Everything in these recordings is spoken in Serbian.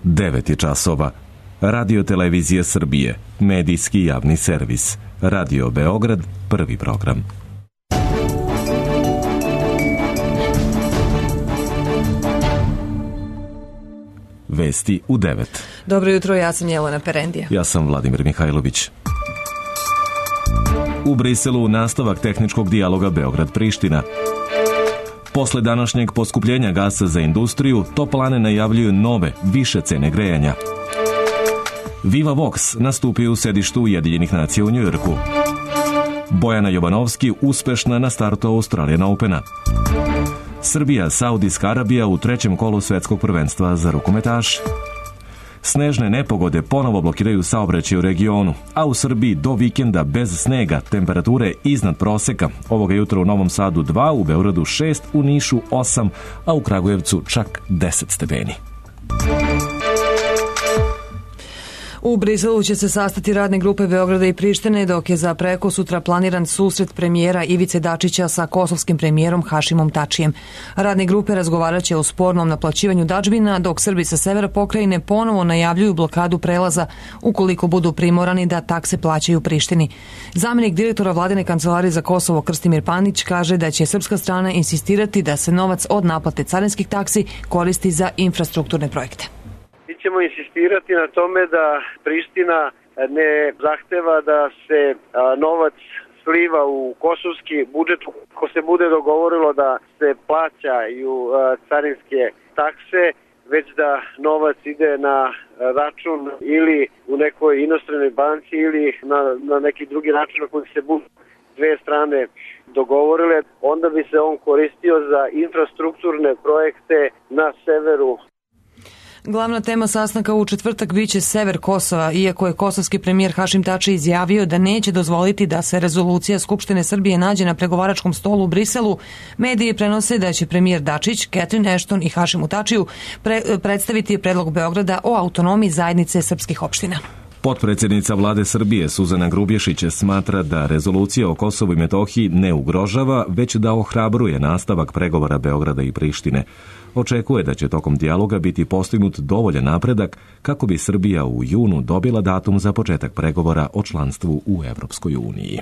9 je časova. Radio Televizije Srbije, medijski javni servis. Radio Beograd, prvi program. Vesti u 9. Dobro jutro, ja sam Jelena Perendija. Ja sam Vladimir Mihajlović. U Briselu nastavak tehničkog dijaloga Beograd-Priština. Posle današnjeg poskupljenja gasa za industriju, toplane najavljuju nove, više cene grejanja. Viva Vox nastupio u sedištu Ujedinjenih nacija u Njujorku. Bojana Jovanovski uspešna na startu Australian Opena. Srbija, Saudijska Arabija u trećem kolu svetskog prvenstva za rukometaše. Snežne nepogode ponovo blokiraju saobraćaj u regionu, a u Srbiji do vikenda bez snega, temperature iznad proseka. Ovoga jutra u Novom Sadu 2, u Beogradu 6, u Nišu 8, a u Kragujevcu čak 10 stepeni. U Briselu će se sastati radne grupe Beograda i Prištine, dok je za prekosutra planiran susret premijera Ivice Dačića sa kosovskim premijerom Hašimom Tačijem. Radne grupe razgovarat će o spornom naplaćivanju dažbina, dok Srbi sa severa pokrajine ponovo najavljuju blokadu prelaza ukoliko budu primorani da takse plaćaju Prištini. Zamenik direktora Vladine kancelarije za Kosovo Krstimir Panić kaže da će srpska strana insistirati da se novac od naplate carinskih taksi koristi za infrastrukturne projekte. Mi ćemo insistirati na tome da Priština ne zahteva da se novac sliva u kosovski budžet ko se bude dogovorilo da se plaćaju carinske takse, već da novac ide na račun ili u nekoj inostranoj banci ili na neki drugi račun na koji se budu dve strane dogovorile. Onda bi se on koristio za infrastrukturne projekte na severu. Glavna tema sastanka u četvrtak biće sever Kosova, iako je kosovski premijer Hašim Tači izjavio da neće dozvoliti da se rezolucija Skupštine Srbije nađe na pregovaračkom stolu u Briselu. Mediji prenose da će premijer Dačić, Catherine Ashton i Hašimu Tačiju predstaviti predlog Beograda o autonomiji zajednice srpskih opština. Potpredsjednica vlade Srbije Suzana Grubješić smatra da rezolucija o Kosovu i Metohiji ne ugrožava, već da ohrabruje nastavak pregovora Beograda i Prištine. Očekuje da će tokom dijaloga biti postignut dovoljan napredak kako bi Srbija u junu dobila datum za početak pregovora o članstvu u Evropskoj uniji.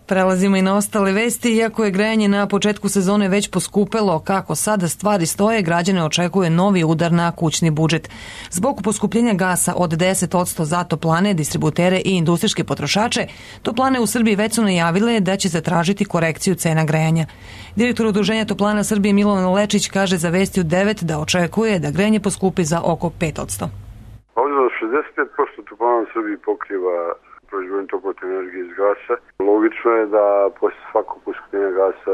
Prelazimo i na ostale vesti. Iako je grejanje na početku sezone već poskupelo, kako sada stvari stoje, građane očekuje novi udar na kućni budžet. Zbog poskupljenja gasa od 10% za toplane, distributere i industrijske potrošače, toplane u Srbiji već su najavile da će zatražiti korekciju cena grejanja. Direktor Udruženja toplana Srbije Milovan Lečić kaže za Vesti u 9 da očekuje da grejanje poskupi za oko 5%. Ovdje 65% toplana u Srbiji pokriva proizvodnju toplotne energije iz gasa. Logično je da posle svakog poskupljenja gasa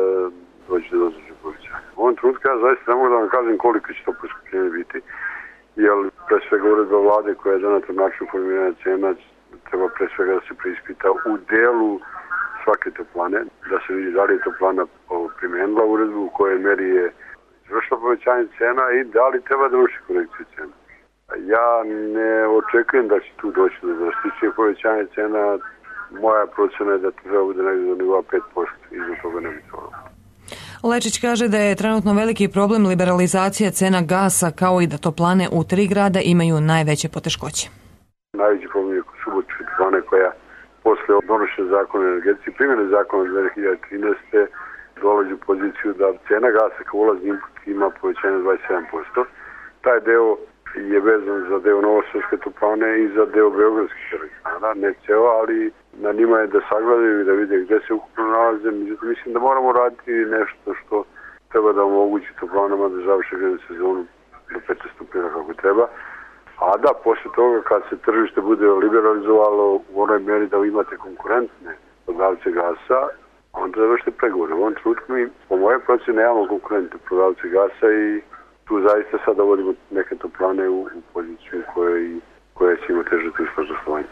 dođe do određenog povećanja. U ovom trenutku ja zaista ne mogu da vam kažem koliko će to poskupljenje biti, jer pre svega uredba vlade koja je doneta način formiranja cena treba pre svega da se preispita u delu svake toplane, da se vidi da li je toplana primenila uredbu, u kojoj meri je izvršila povećanje cena i da li treba da vrši korekciju cena. Ja ne očekujem da će tu doći do drastičnije povećanja cena. Moja procena je da to treba bude negdje do nivoa 5%, iznad toga ne bi to. Lečić kaže da je trenutno veliki problem liberalizacija cena gasa, kao i da toplane u 3 grada imaju najveće poteškoće. Najveći problem je Subotičke toplane koja posle donošenja zakona o energetici, primjene zakona 2013. dolazi u poziciju da cena gasa kao ulazni input ima povećanje 27%. Taj deo je vezan za deo Novosavske toplane i za deo Beogradskih elektrana, ne ceo, ali na njima je da sagledaju i da vide gde se ukupno nalaze. Međutim, mislim da moramo raditi nešto što treba da omogući toplanama da završe grejnu sezonu do 15 stupnjeva kako treba. A da, posle toga kad se tržište bude liberalizovalo u onoj meri da imate konkurentne prodavce gasa, onda završite pregovore. U ovom trenutku mi, po moje procene, nemamo konkurentne prodavce gasa i tu zaista sada vodimo neke toplane u poziciju koja će imati teže poslovanje.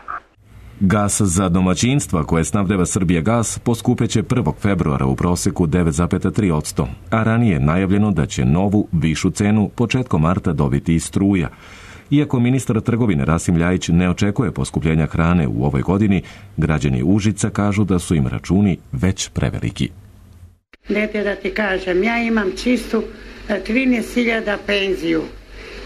Gas za domaćinstva koje snabdeva Srbija gas poskupeće 1. februara u proseku 9,3%, a ranije je najavljeno da će novu, višu cenu početkom marta dobiti i struja. Iako ministar trgovine Rasim Ljajić ne očekuje poskupljenja hrane u ovoj godini, građani Užica kažu da su im računi već preveliki. Dete, da ti kažem, ja imam čistu 13.000 penziju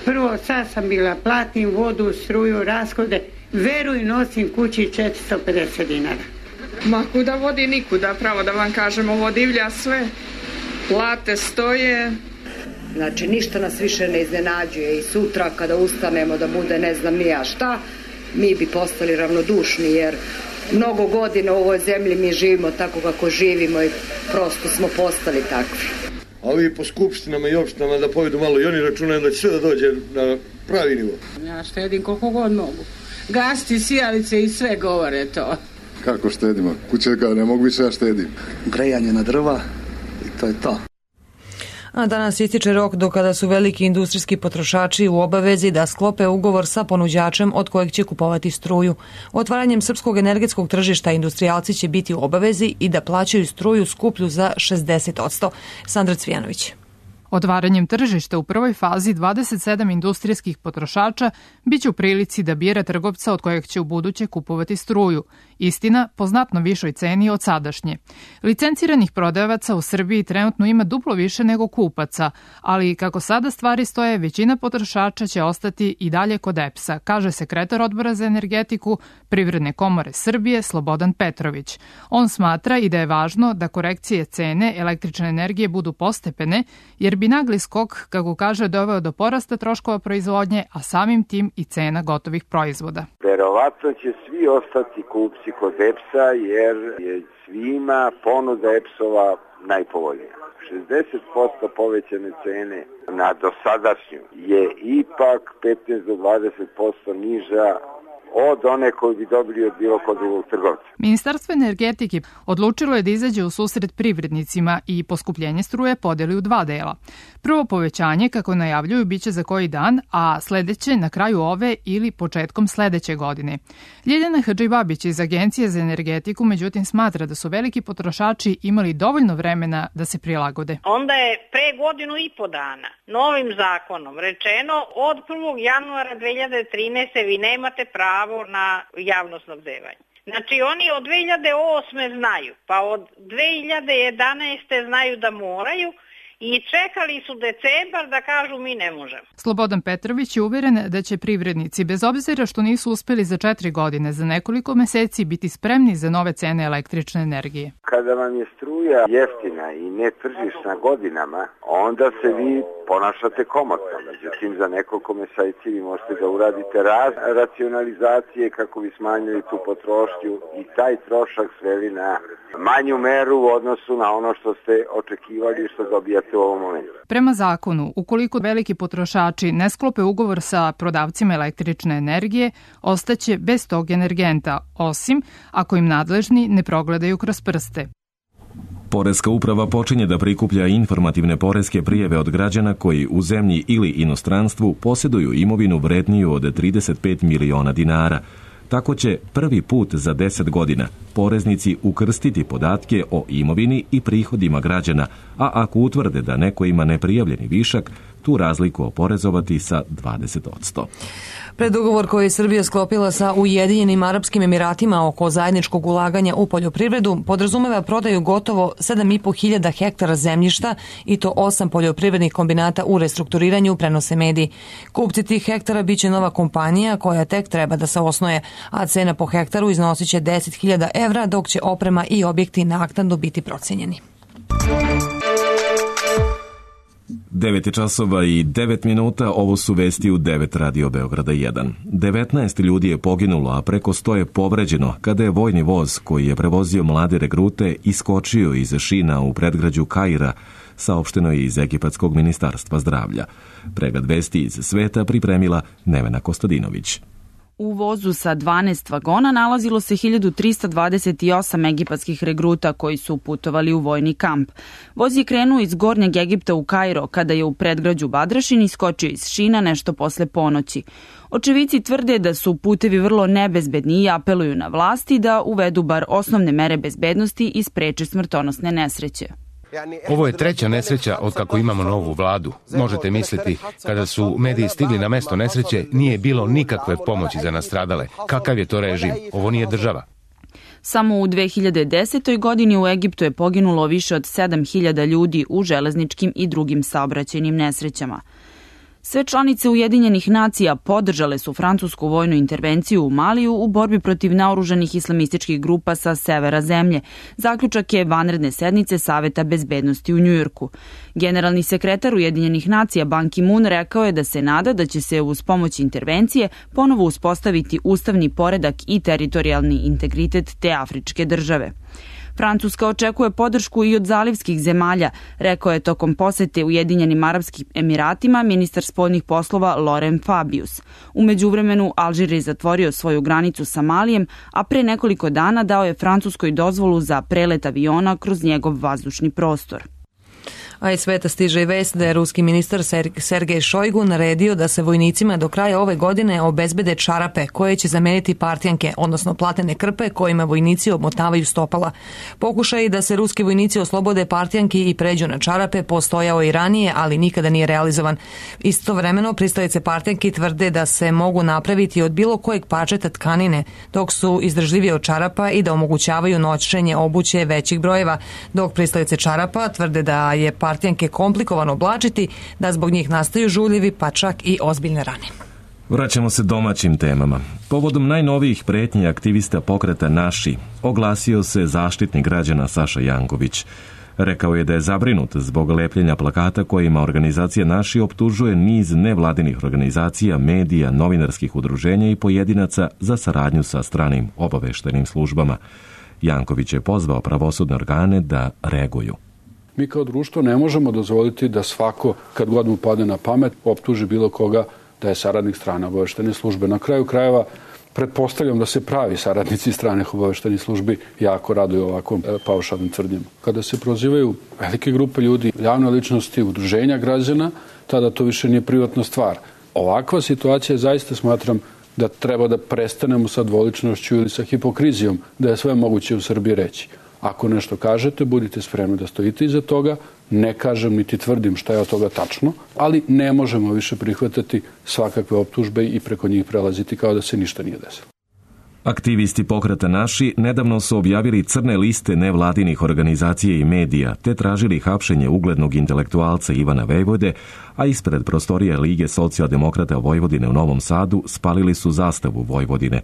Prvo, sad sam bila, platim vodu, struju, rashode, veruj, nosim kući 450 dinara. Ma kuda vodi nikuda, pravo da vam kažem, ovo divlja sve, plate stoje. Znači, ništa nas više ne iznenađuje i sutra kada ustanemo da bude ne znam ni ja šta, mi bi postali ravnodušni jer mnogo godina u ovoj zemlji mi živimo tako kako živimo i prosto smo postali takvi. A ovi po skupštinama i opštinama da povedu malo i oni računaju da će sve da dođe na pravi nivo. Ja štedim koliko god mogu. Gasti, sijalice i sve govore to. Kako štedimo? Kuće ne mogu više, ja štedim. Grejanje na drva i to je to. A danas ističe rok do kada su veliki industrijski potrošači u obavezi da sklope ugovor sa ponuđačem od kojeg će kupovati struju. Otvaranjem srpskog energetskog tržišta industrijalci će biti u obavezi i da plaćaju struju skuplju za 60%. Sandra Cvijanović. Otvaranjem tržišta u prvoj fazi 27 industrijskih potrošača biće u prilici da bira trgovca od kojeg će u buduće kupovati struju. Istina, po znatno višoj ceni od sadašnje. Licenciranih prodavaca u Srbiji trenutno ima duplo više nego kupaca, ali kako sada stvari stoje, većina potrošača će ostati i dalje kod EPS-a, kaže sekretar Odbora za energetiku Privredne komore Srbije Slobodan Petrović. On smatra i da je važno da korekcije cene električne energije budu postepene, jer bi nagli skok, kako kaže, doveo do porasta troškova proizvodnje, a samim tim i cena gotovih proizvoda. Verovatno će svi ostati kupci kod EPS-a jer je svima ponuda EPS-ova najpovoljnija. 60% povećane cene na dosadašnju je ipak 15 do 20% niža od one koju bi dobili od bilo kod drugog trgovca. Ministarstvo energetike odlučilo je da izađe u susret privrednicima i poskupljenje struje podeli u dva dela. Prvo povećanje, kako najavljuju, biće za koji dan, a sledeće na kraju ove ili početkom sledeće godine. Ljiljana Hadžibabić iz Agencije za energetiku međutim smatra da su veliki potrošači imali dovoljno vremena da se prilagode. Onda je pre 1.5 godina novim zakonom rečeno od 1. januara 2013. vi nemate pravo na javno snabdevanje. Znači oni od 2008. znaju, pa od 2011. znaju da moraju i čekali su decembar da kažu mi ne možemo. Slobodan Petrović je uveren da će privrednici, bez obzira što nisu uspeli za 4 godine, za nekoliko meseci biti spremni za nove cene električne energije. Kada vam je struja jeftina i netržišna godinama, onda se vi ponašate komotno. Međutim, za nekoliko meseci vi možete da uradite racionalizacije kako bi smanjili tu potrošnju i taj trošak sveli na manju meru u odnosu na ono što ste očekivali i što dobijate u ovom momentu. Prema zakonu, ukoliko veliki potrošači ne sklope ugovor sa prodavcima električne energije, ostaće bez tog energenta, osim ako im nadležni ne progledaju kroz prste. Poreska uprava počinje da prikuplja informativne poreske prijave od građana koji u zemlji ili inostranstvu posjeduju imovinu vredniju od 35 miliona dinara. Tako će prvi put za 10 godina poreznici ukrstiti podatke o imovini i prihodima građana, a ako utvrde da neko ima neprijavljeni višak, tu razliku oporezovati sa 20%. Predugovor koji je Srbija sklopila sa Ujedinjenim Arapskim Emiratima oko zajedničkog ulaganja u poljoprivredu podrazumeva prodaju gotovo 7.500 hektara zemljišta i to 8 poljoprivrednih kombinata u restrukturiranju, prenose mediji. Kupci tih hektara biće nova kompanija koja tek treba da se osnuje, a cena po hektaru iznosit će 10.000 evra, dok će oprema i objekti naknadno biti procenjeni. 9 časova i 9 minuta, ovo su vesti u 9 Radio Beograda 1. 19 ljudi je poginulo, a preko 100 je povređeno kada je vojni voz koji je prevozio mlade regrute iskočio iz šina u predgrađu Kaira, saopšteno je iz Egipatskog ministarstva zdravlja. Pregled vesti iz sveta pripremila Nevena Kostadinović. U vozu sa 12 vagona nalazilo se 1328 egipatskih regruta koji su putovali u vojni kamp. Voz je krenuo iz Gornjeg Egipta u Kairo kada je u predgrađu Badrašin iskočio iz šina nešto posle ponoći. Očevici tvrde da su putevi vrlo nebezbedni i apeluju na vlasti da uvedu bar osnovne mere bezbednosti i spreče smrtonosne nesreće. Ovo je treća nesreća od kako imamo novu vladu. Možete misliti, kada su mediji stigli na mesto nesreće, nije bilo nikakve pomoći za nastradale. Kakav je to režim? Ovo nije država. Samo u 2010. godini u Egiptu je poginulo više od 7.000 ljudi u železničkim i drugim saobraćajnim nesrećama. Sve članice Ujedinjenih nacija podržale su francusku vojnu intervenciju u Maliju u borbi protiv naoružanih islamističkih grupa sa severa zemlje. Zaključak je vanredne sednice Saveta bezbednosti u Njujorku. Generalni sekretar Ujedinjenih nacija Ban Ki-moon rekao je da se nada da će se uz pomoć intervencije ponovo uspostaviti ustavni poredak i teritorijalni integritet te afričke države. Francuska očekuje podršku i od zalivskih zemalja, rekao je tokom posete Ujedinjenim Arapskim Emiratima ministar spoljnih poslova Laurent Fabius. U međuvremenu Alžir je zatvorio svoju granicu sa Malijem, a pre nekoliko dana dao je Francuskoj dozvolu za prelet aviona kroz njegov vazdušni prostor. A iz sveta stiže i vest da je ruski ministar Sergej Šojgu naredio da se vojnicima do kraja ove godine obezbede čarape koje će zameniti partjanke, odnosno platene krpe kojima vojnici obmotavaju stopala. Pokušaj da se ruski vojnici oslobode partjanki i pređu na čarape postojao i ranije, ali nikada nije realizovan. Istovremeno, pristalice partjanki tvrde da se mogu napraviti od bilo kojeg parčeta tkanine, dok su izdržljivije od čarapa i da omogućavaju nošenje obuće većih brojeva, dok pristalice čarapa tvrde da je partjanke komplikovano oblačiti, da zbog njih nastaju žuljevi, pa čak i ozbiljne rane. Vraćamo se domaćim temama. Povodom najnovijih pretnji aktivista pokreta Naši oglasio se zaštitnik građana Saša Janković. Rekao je da je zabrinut zbog lepljenja plakata kojima organizacija Naši optužuje niz nevladinih organizacija, medija, novinarskih udruženja i pojedinaca za saradnju sa stranim obaveštajnim službama. Janković je pozvao pravosudne organe da reaguju. Mi kao društvo ne možemo dozvoliti da svako, kad god mu padne na pamet, optuži bilo koga da je saradnik strane obaveštajne službe. Na kraju krajeva, pretpostavljam da se pravi saradnici stranih obaveštajnih službi jako raduju ovakvom paušalnim tvrdnjama. Kada se prozivaju velike grupe ljudi, javne ličnosti, udruženja građana, tada to više nije privatna stvar. Ovakva situacija zaista smatram da treba da prestanemo sa dvoličnošću ili sa hipokrizijom, da je sve moguće u Srbiji reći. Ako nešto kažete, budite spremni da stojite iza toga. Ne kažem niti tvrdim šta je od toga tačno, ali ne možemo više prihvatati svakakve optužbe i preko njih prelaziti kao da se ništa nije desilo. Aktivisti pokreta Naši nedavno su objavili crne liste nevladinih organizacija i medija, te tražili hapšenje uglednog intelektualca Ivana Vejvode, a ispred prostorije Lige socijaldemokrata Vojvodine u Novom Sadu spalili su zastavu Vojvodine.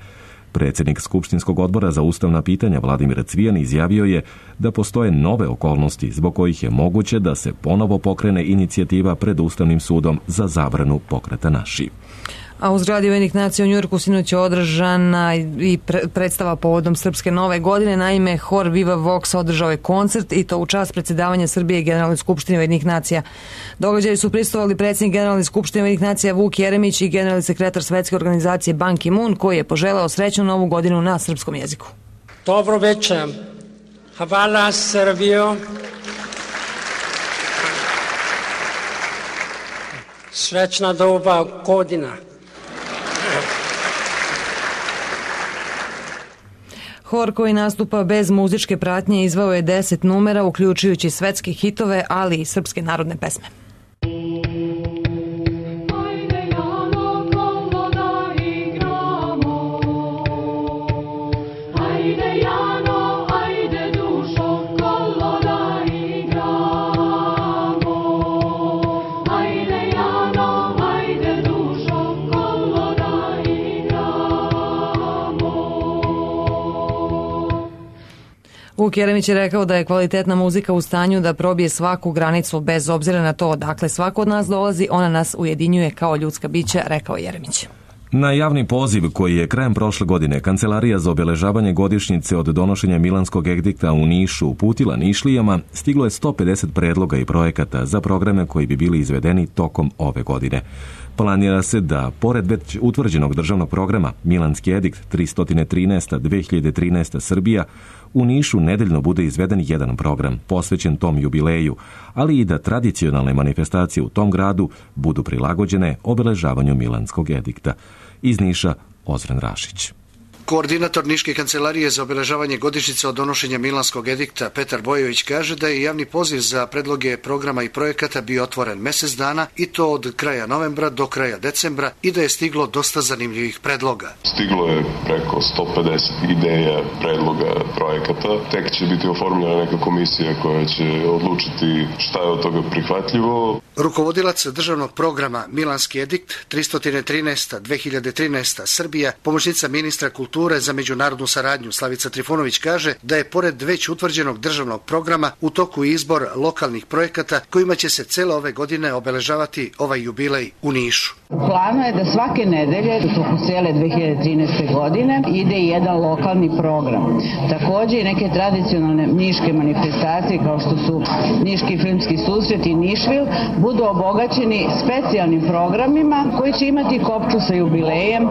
Predsjednik Skupštinskog odbora za ustavna pitanja Vladimir Cvijan izjavio je da postoje nove okolnosti zbog kojih je moguće da se ponovo pokrene inicijativa pred Ustavnim sudom za zabranu pokreta Naši. A u zgradi Ujedinjenih nacija u Njujorku sinoć je održana i predstava povodom Srpske nove godine. Naime, hor Viva Vox održao je koncert i to u čast predsjedavanja Srbije i Generalnoj skupštini Ujedinjenih nacija. Događaju su prisustvovali predsjednik Generalne skupštine Ujedinjenih nacija Vuk Jeremić i generalni sekretar Svetske organizacije Ban Ki-moon, koji je poželeo srećnu novu godinu na srpskom jeziku. Dobro večer. Hvala Srbijo. Srećna nova godina. Hor koji nastupa bez muzičke pratnje izvao je 10 numera, uključujući svetske hitove, ali i srpske narodne pesme. Vuk Jeremić je rekao da je kvalitetna muzika u stanju da probije svaku granicu bez obzira na to odakle svako od nas dolazi, ona nas ujedinjuje kao ljudska bića, rekao Jeremić. Na javni poziv koji je krajem prošle godine Kancelarija za obeležavanje godišnjice od donošenja Milanskog edikta u Nišu uputila Nišlijama, stiglo je 150 predloga i projekata za programe koji bi bili izvedeni tokom ove godine. Planira se da, pored već utvrđenog državnog programa Milanski edikt 313-2013 Srbija, u Nišu nedeljno bude izveden jedan program posvećen tom jubileju, ali i da tradicionalne manifestacije u tom gradu budu prilagođene obeležavanju Milanskog edikta. Iz Niša, Ozren Rašić. Koordinator Niške kancelarije za obeležavanje godišnjice od donošenja Milanskog edikta Petar Bojović kaže da je javni poziv za predloge programa i projekata bio otvoren mesec dana i to od kraja novembra do kraja decembra i da je stiglo dosta zanimljivih predloga. Stiglo je preko 150 ideja, predloga, projekata. Tek će biti oformljena neka komisija koja će odlučiti šta je od toga prihvatljivo. Rukovodilac državnog programa Milanski edikt 313-2013 Srbija, pomoćnica ministra kulture za međunarodnu saradnju Slavica Trifunović kaže da je pored već utvrđenog državnog programa u toku izbor lokalnih projekata kojima će se cele ove godine obeležavati ovaj jubilej u Nišu. Plano je da svake nedelje u toku cele 2013. godine ide jedan lokalni program. Takođe i neke tradicionalne niške manifestacije kao što su Niški filmski susret i Nišvil budu obogaćeni specijalnim programima koji će imati kopču sa jubilejem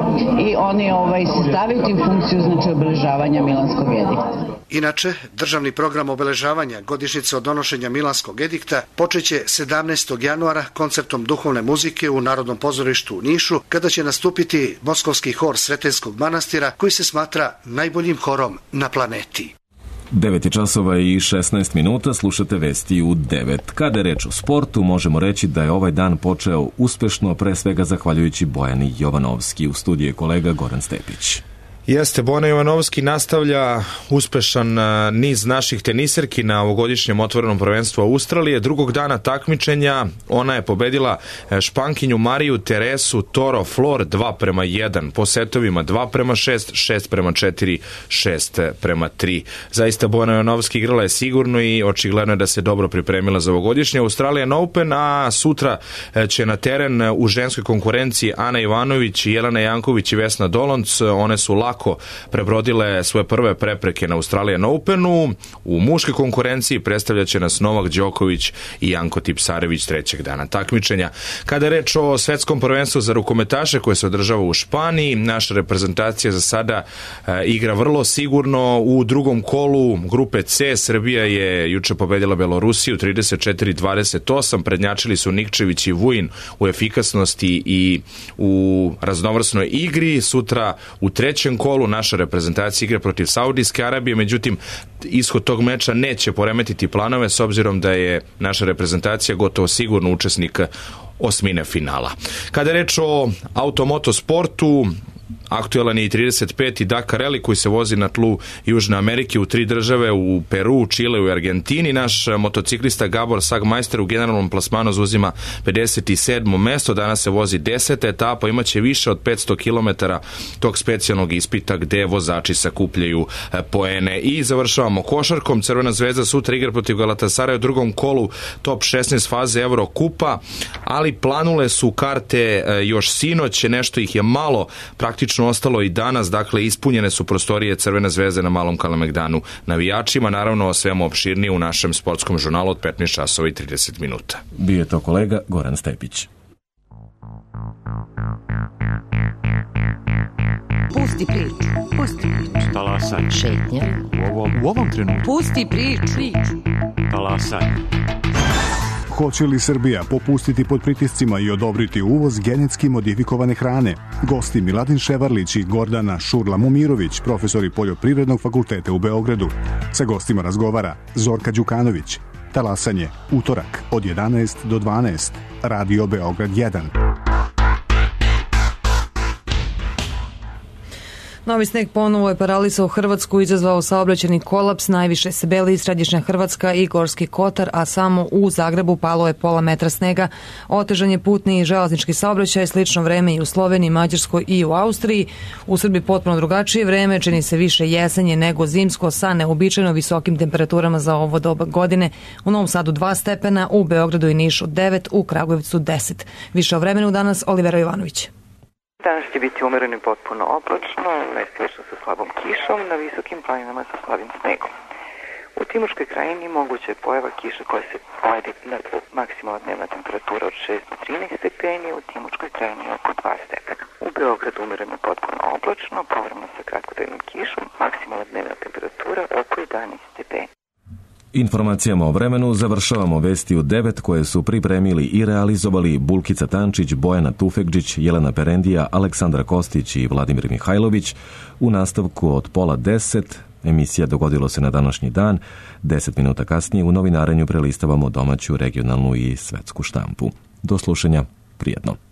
i oni se staviti u funkciju obeležavanja Milanskog edikta. Inače, državni program obeležavanja godišnjice od donošenja Milanskog edikta počeće 17. januara koncertom duhovne muzike u Narodnom pozorištu u Nišu, kada će nastupiti Moskovski hor Sretenskog manastira, koji se smatra najboljim horom na planeti. 9 časova i 16 minuta, slušate vesti u 9. Kada je reč o sportu, možemo reći da je ovaj dan počeo uspešno, pre svega zahvaljujući Bojani Jovanovski. U studiju je kolega Goran Stepić. Jeste, Bojana Jovanovski nastavlja uspešan niz naših teniserki na ovogodišnjem otvorenom prvenstvu Australije. Drugog dana takmičenja ona je pobedila Špankinju Mariju Teresu Toro Flor 2:1, po setovima 2:6, 6:4, 6:3. Zaista Bojana Jovanovski igrala je sigurno i očigledno je da se dobro pripremila za ovogodišnje Australian Open, a sutra će na teren u ženskoj konkurenciji Ana Ivanović, Jelena Janković i Vesna Dolonc. One su lako prebrodile svoje prve prepreke na Australian Openu. U muškoj konkurenciji predstavljaće nas Novak Đoković i Janko Tipsarević trećeg dana takmičenja. Kada je reč o svetskom prvenstvu za rukometaše koje se održava u Španiji, naša reprezentacija za sada igra vrlo sigurno. U drugom kolu grupe C Srbija je juče pobedila Belorusiju 34-28. Prednjačili su Nikčević i Vujin u efikasnosti i u raznovrsnoj igri. Sutra u trećem kolu naša reprezentacija igra protiv Saudijske Arabije, međutim ishod tog meča neće poremetiti planove s obzirom da je naša reprezentacija gotovo sigurno učesnik osmine finala. Kada je reč o automoto sportu, aktuelan je i 35. Dakar Rally koji se vozi na tlu Južne Amerike u 3 države, u Peru, Čileu i Argentini. Naš motociklista Gabor Sagmeister u generalnom plasmanu zauzima 57. mesto. Danas se vozi 10. etapa, imaće više od 500 km tog specijalnog ispita gde vozači sakupljaju poene. I završavamo košarkom. Crvena zvezda sutra igra protiv Galatasaraya u drugom kolu top 16 faze Eurokupa, ali planule su karte još sinoć, nešto ih je malo praktično ostalo i danas, dakle ispunjene su prostorije Crvene zvezde na Malom Kalemegdanu navijačima, naravno o svemu opširnije u našem sportskom žurnalu od 15 časova i 30 minuta. Bio je to kolega Goran Stepić. Pusti priču. Talasaj. Šetnja. U ovom trenutku. Pusti priču. Talasaj. Hoće li Srbija popustiti pod pritiscima i odobriti uvoz genetski modifikovane hrane? Gosti Miladin Ševarlić i Gordana Šurla-Mumirović, profesori Poljoprivrednog fakulteta u Beogradu. Sa gostima razgovara Zorka Đukanović. Talasanje, utorak od 11 do 12. Radio Beograd 1. Novi sneg ponovo je paralisao Hrvatsku, izazvao saobraćajni kolaps, najviše se beli središnja Hrvatska i Gorski Kotar, a samo u Zagrebu palo je pola metra snega. Otežan je putni i železnički saobraćaj, slično vreme i u Sloveniji, Mađarskoj i u Austriji. U Srbiji potpuno drugačije vreme, čini se više jesenje nego zimsko sa neobičajno visokim temperaturama za ovo doba godine. U Novom Sadu 2 stepena, u Beogradu i Nišu 9, u Kragujevcu 10. Više o vremenu danas Olivera Jovanović. Danas će biti umereno i potpuno oblačno, mestimično sa slabom kišom, na visokim planinama sa slabim snegom. U Timočkoj krajini moguća je pojava kiše koja se sledi na maksimalna dnevna temperatura od 6 do 13 stepeni, u Timočkoj krajini oko 2 stepena. U Beogradu umereno i potpuno oblačno, povremeno sa kratkotrajnom kišom, maksimalna dnevna temperatura oko 11 stepeni. Informacijama o vremenu završavamo vesti u 9 koje su pripremili i realizovali Bulkica Tančić, Bojana Tufekđić, Jelena Perendija, Aleksandra Kostić i Vladimir Mihajlović. U nastavku od 9:30 emisija Dogodilo se na današnji dan. 10 minuta kasnije u novinarenju prelistavamo domaću, regionalnu i svetsku štampu. Do slušanja, prijetno.